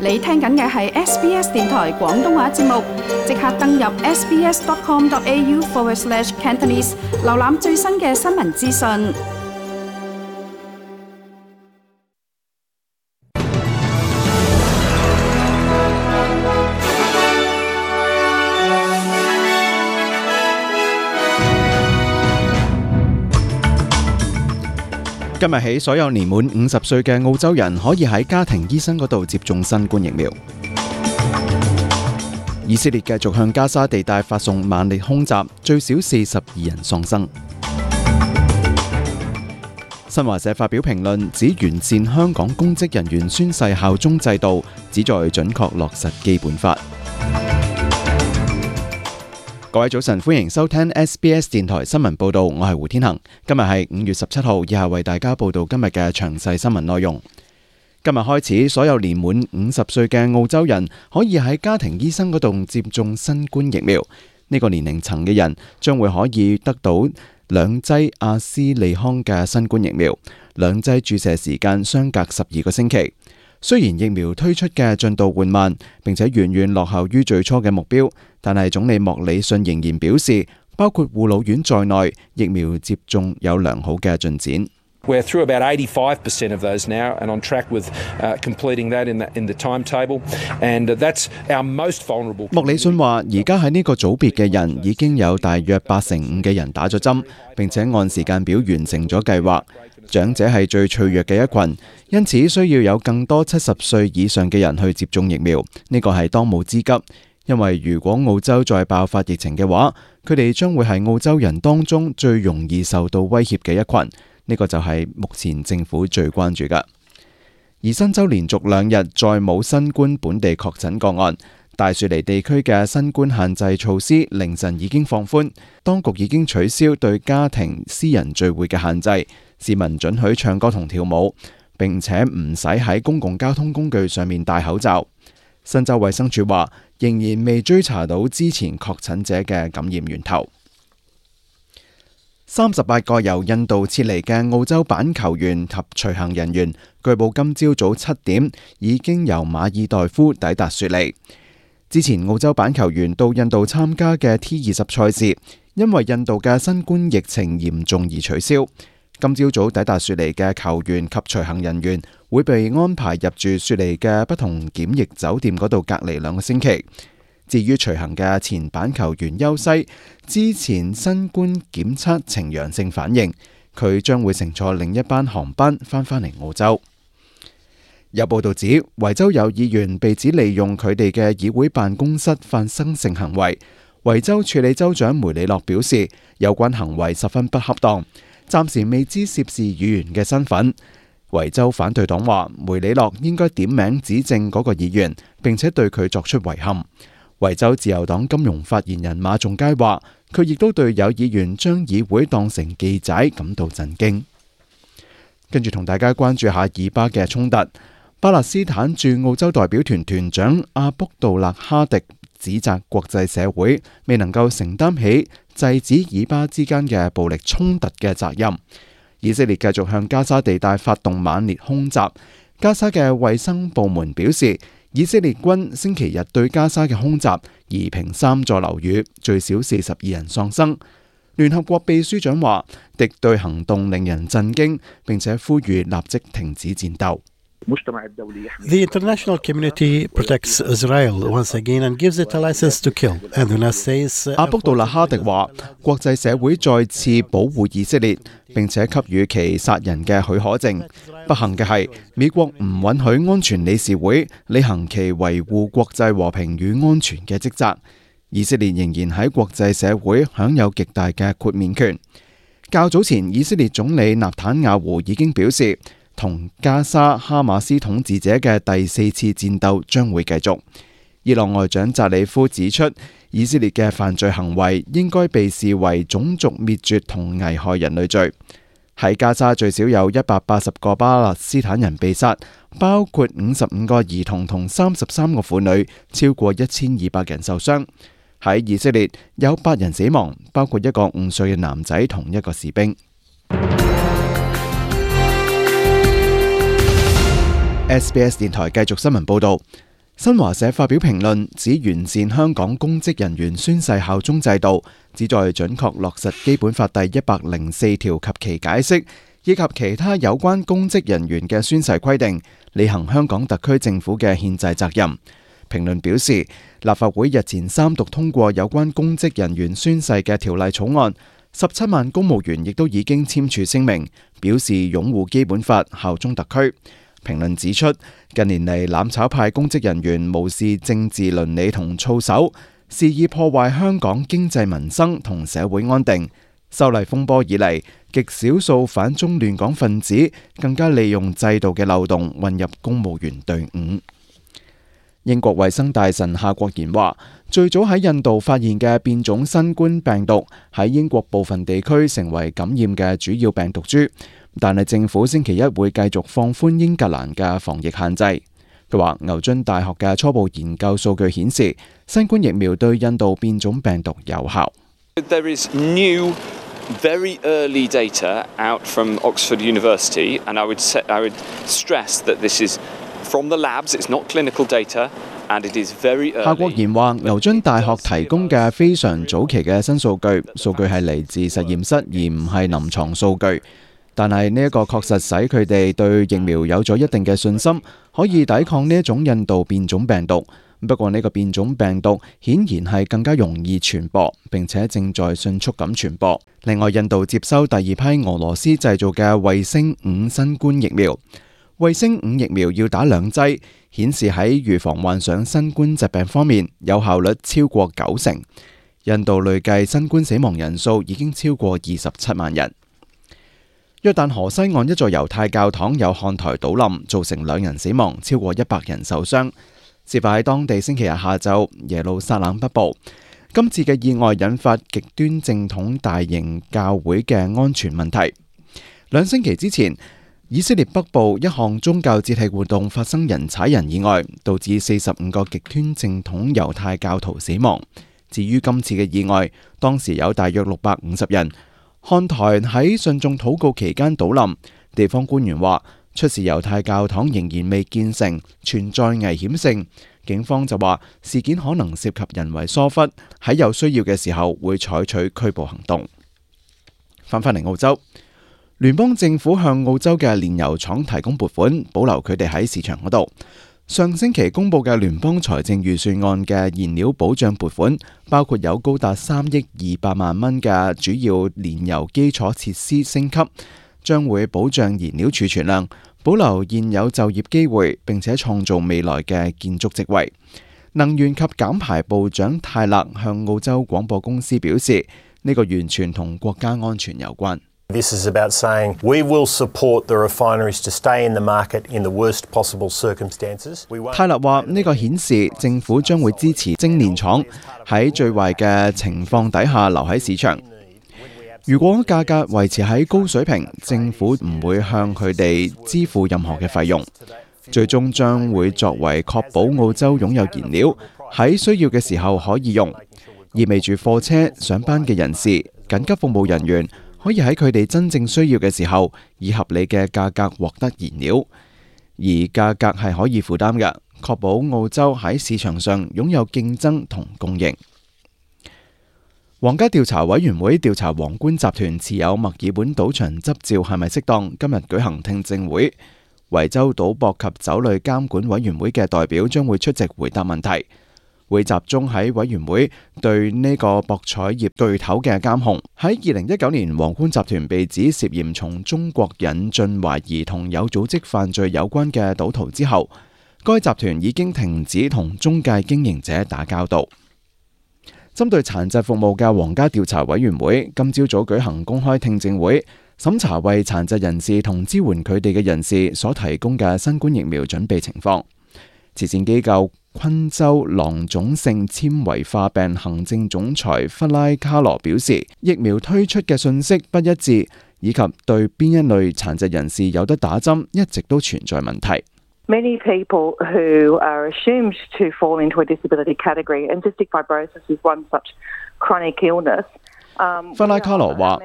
你聽緊嘅係 SBS 電台廣東話節目，即刻登入 sbs.com.au/Cantonese 瀏覽最新嘅新聞資訊。今日起，所有年滿50歲嘅澳洲人可以喺家庭醫生嗰度接種新冠疫苗。以色列繼續向加沙地帶發送猛烈空襲，最少42人喪生。新華社發表評論，指完善香港公職人員宣誓效忠制度，旨在準確落實基本法。各位早晨，歡迎收聽 SBS 電台新聞報道，我係胡天恒。今日係5月17號，以下為大家報道今日嘅詳細新聞內容。今日開始，所有年滿50歲嘅澳洲人可以喺家庭醫生嗰度接種新冠疫苗。呢個年齡層嘅人將會可以得到2劑阿斯利康嘅新冠疫苗，2劑注射時間相隔12個星期。雖然疫苗推出嘅進度緩慢，並且遠遠落後於最初嘅目標，但係總理莫里遜仍然表示，包括護老院在內，疫苗接種有良好嘅進展。We're through about 85% of those now and on track with completing that in the timetable. And that's our most vulnerable. 莫里遜話：而家喺呢個組別嘅人已經有大約85%嘅人打咗針，並且按時間表完成咗計劃。長者係最脆弱嘅一群，因此需要有更多70歲以上嘅人去接種疫苗。呢個係當務之急，因為如果澳洲再爆發疫情嘅話，佢哋將會係澳洲人當中最容易受到威脅嘅一群。呢個就係目前政府最關注嘅。而新州連續2日再冇新冠本地確診個案，大雪梨地區嘅新冠限制措施凌晨已經放寬，當局已經取消對家庭私人聚會嘅限制，市民准許唱歌同跳舞，並且唔使喺公共交通工具上面戴口罩。新州衛生署話，仍然未追查到之前確診者嘅感染源頭。38個由印度撤離嘅澳洲版球員及隨行人員，據報今朝早7點已經由馬爾代夫抵達雪梨。之前澳洲版球員到印度參加嘅 T20 賽事，因為印度嘅新冠疫情嚴重而取消。今朝早抵達雪梨嘅球員及隨行人員會被安排入住雪梨嘅不同檢疫酒店嗰度隔離2個星期。至於隨行嘅前版球員休西，之前新冠檢測呈陽性反應，佢將會乘坐另一班航班返嚟澳洲。有報道指，維州有議員被指利用佢哋嘅議會辦公室發生性行為。維州處理州長梅里諾表示，有關行為十分不恰當，暫時未知涉事議員嘅身份。維州反對黨話，梅里諾應該點名指證嗰個議員，並且對佢作出遺憾。維州自由黨金融發言人馬仲佳話，佢亦都對有議員將議會當成記仔感到震驚。跟住同大家關注下以巴嘅衝突。巴勒斯坦駐澳洲代表團團長阿卜杜勒哈迪指責國際社會未能夠承擔起制止以巴之間嘅暴力衝突嘅責任。以色列繼續向加沙地帶發動猛烈空襲。加沙嘅衛生部門表示，以色列軍星期日對加沙嘅空襲夷平3座樓宇，最少42人喪生。聯合國秘書長話，敵對行動令人震驚，並且呼籲立即停止戰鬥。The international community protects Israel once again and gives it a license to kill. And the United States 阿卜杜勒哈迪話，國際社會再次保護以色列，並且給予其殺人嘅許可證。不幸嘅係，美國唔允許安全理事會履行其維護國際和平與安全嘅職責。以色列仍然喺國際社會享有極大嘅豁免權。較早前，以色列總理納坦雅胡已經表示，同加沙哈馬斯統治者嘅第4次戰鬥將會繼續。伊朗外長扎里夫指出，以色列嘅犯罪行為應該被視為種族滅絕同危害人類罪。喺加沙最少有180個巴勒斯坦人被殺，包括55個兒童同33個婦女，超過1200人受傷。喺以色列有8人死亡，包括1個5歲嘅男仔同1個士兵。SBS 電台繼續新聞報道。新華社發表評論，指完善香港公職人員宣誓效忠制度，旨在準確落實基本法第104條及其解釋，以及其他有關公職人員嘅宣誓規定，履行香港特區政府嘅憲制責任。評論表示，立法會日前三讀通過有關公職人員宣誓嘅條例草案，17萬公務員亦都已經簽署聲明，表示擁護基本法、效忠特區。評論指出，近年嚟攬炒派公職人員無視政治倫理同操守，肆意破壞香港經濟民生同社會安定。修例風波以嚟，極少數反中亂港分子更加利用制度嘅漏洞混入公務員隊伍。英國衛生大臣夏國賢話，最早喺印度發現嘅變種新冠病毒喺英國部分地區成為感染嘅主要病毒株，但係政府星期一會繼續放寬英格蘭嘅防疫限制。佢話，牛津大學嘅初步研究數據顯示，新冠疫苗對印度變種病毒有效。There is new, very early data out from Oxford University, and I would stress that this is from the labs, it's not clinical data, and it is very early. 夏國賢話，牛津大學提供嘅非常早期嘅新數據係嚟自實驗室，而唔係臨床數據。但係呢一個確實使佢哋對疫苗有咗一定嘅信心，可以抵抗呢一種印度變種病毒。不過呢個變種病毒顯然係更加容易傳播，並且正在迅速咁傳播。另外，印度接收第二批俄羅斯製造嘅衛星5新冠疫苗。衛星5疫苗要打2劑，顯示喺預防患上新冠疾病方面有效率超過90%。印度累計新冠死亡人數已經超過27萬人。約旦河西岸一座猶太教堂有看台倒冧，造成2人死亡，超過100人受傷。事發喺當地星期日下晝，耶路撒冷北部。今次嘅意外引發極端正統大型教會嘅安全問題。2星期之前，以色列北部一項宗教節慶活動發生人踩人意外，導致45個極端正統猶太教徒死亡。至於今次嘅意外，當時有大約650人，看台喺信眾禱告期間倒冧。地方官員話，出事猶太教堂仍然未建成，存在危險性。警方就話事件可能涉及人為疏忽，喺有需要嘅時候會採取拘捕行動。翻返嚟澳洲，聯邦政府向澳洲嘅煉油廠提供撥款，保留佢哋喺市場嗰度。上星期公布嘅聯邦財政預算案嘅燃料保障撥款，包括有高達3億200萬蚊嘅主要煉油基礎設施升級，將會保障燃料儲存量，保留現有就業機會，並且創造未來嘅建築職位。能源及減排部長泰勒向澳洲廣播公司表示，呢個完全同國家安全有關。This is about saying we will support the refineries to stay in the market in the worst possible circumstances. 泰勒話，呢個顯示政府將會支持精煉廠喺最壞嘅情況底下留喺市場。如果價格維持喺高水平，政府唔會向佢哋支付任何嘅費用，最終將會作為確保澳洲擁有燃料，喺需要嘅時候可以用，意味住貨車、上班嘅人士、緊急服務人員可以喺佢哋真正需要嘅時候，以合理嘅價格獲得燃料，而價格係可以負擔嘅，確保澳洲喺市場上擁有競爭同供應。皇家調查委員會調查皇冠集團持有墨爾本賭場執照係咪適當，今日舉行聽證會。維州賭博及酒類監管委員會嘅代表將會出席回答問題，會集中喺委員會對呢個博彩業巨頭嘅監控。喺2019年，皇冠集團被指涉嫌從中國引進懷疑同有組織犯罪有關嘅賭徒之後，該集團已經停止同中介經營者打交道。針對殘疾服務嘅皇家調查委員會今朝早舉行公開聽證會，審查為殘疾人士同支援佢哋嘅人士所提供嘅新冠疫苗準備情況。慈善機構昆州囊腫性纖維化病行政總裁弗拉卡羅表示，疫苗推出嘅信息不一致，以及對邊一類殘疾人士有得打針一直都存在問題。Many people who are assumed to fall into a disability category, and cystic fibrosis is one such chronic illness. 弗拉卡羅話，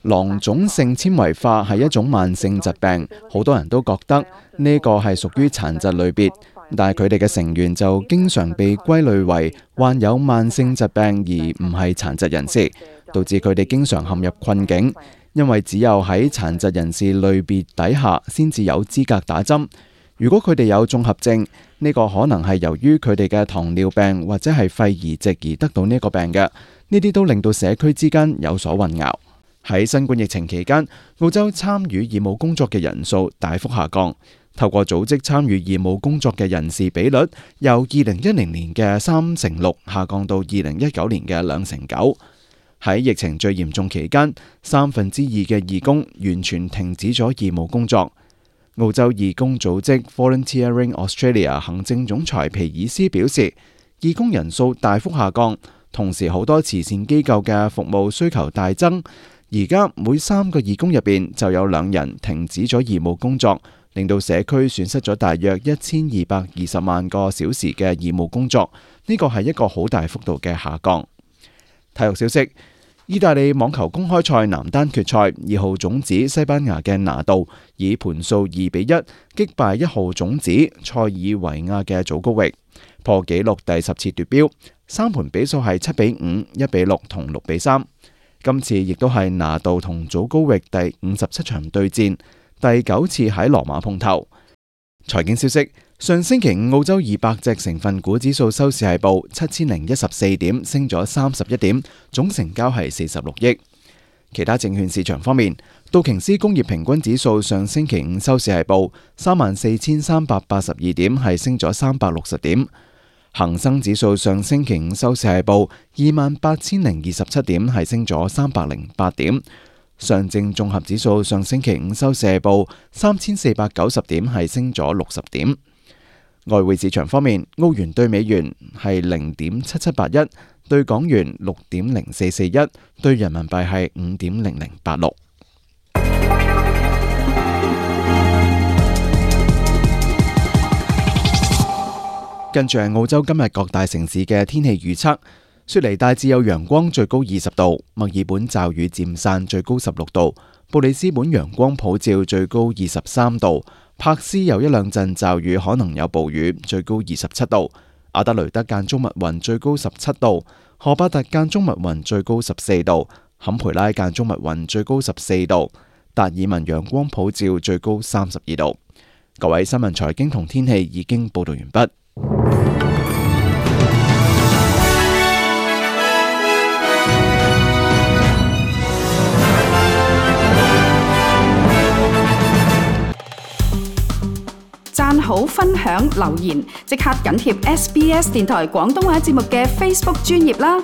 囊腫性纖維化係一種慢性疾病，好多人都覺得呢個係屬於殘疾類別，但係佢哋嘅成員就經常被歸類為患有慢性疾病而唔係殘疾人士，導致佢哋經常陷入困境，因為只有喺殘疾人士類別底下先至有資格打針。如果佢哋有綜合症，呢個可能係由於佢哋嘅糖尿病或者係肺移植而得到呢個病嘅。呢啲都令到社區之間有所混淆。喺新冠疫情期間，澳洲參與義務工作嘅人數大幅下降。透過組織參與義務工作嘅人士比率由2010年嘅36%下降到2019年嘅2.9%。喺疫情最嚴重期間，2/3嘅義工完全停止咗義務工作。澳洲義工組織 Volunteering Australia 行政總裁皮爾斯表示，義工人數大幅下降，同時好多慈善機構嘅服務需求大增。而家每3個義工入邊就有2人停止咗義務工作，令到社區損失咗大約1220萬個小時嘅義務工作。呢個係一個好大幅度嘅下降。體育消息：意大利網球公開賽男單決賽，2號種子西班牙嘅拿度以盤數2-1擊敗1號種子塞爾維亞嘅祖高域，破紀錄第10次奪標。3盤比數係7-5、1-6同6-3。今次亦都係拿度同祖高域第57場對戰，第9次喺羅馬碰頭。財經消息：上星期五澳洲200隻成分股指數收市係報7014點，升咗31點，總成交係46億。其他證券市場方面，道瓊斯工業平均指數上星期五收市係報34,382點，係升咗360點。恒生指數上星期五收市係報28,027點，係升咗308點。上證綜合指數上星期五收市係報3,490點，係升咗60點。外匯市場方面，澳元對美元係0.7781，對港元6.0441，對人民幣係5.0086。跟住係澳洲今日各大城市嘅天氣預測：雪梨大致有陽光，最高20度；墨爾本驟雨漸散，最高16度；布里斯本陽光普照，最高23度；柏斯有一兩陣驟雨，可能有暴雨，最高27度；阿德雷德間中密雲，最高17度；荷巴特間中密雲，最高14度；坎培拉間中密雲，最高14度；達爾文陽光普照，最高32度。各位，新聞財經同天氣已經報道完畢。讚好、分享、留言，即刻緊貼SBS 電台廣東話節目嘅 Facebook 專頁啦！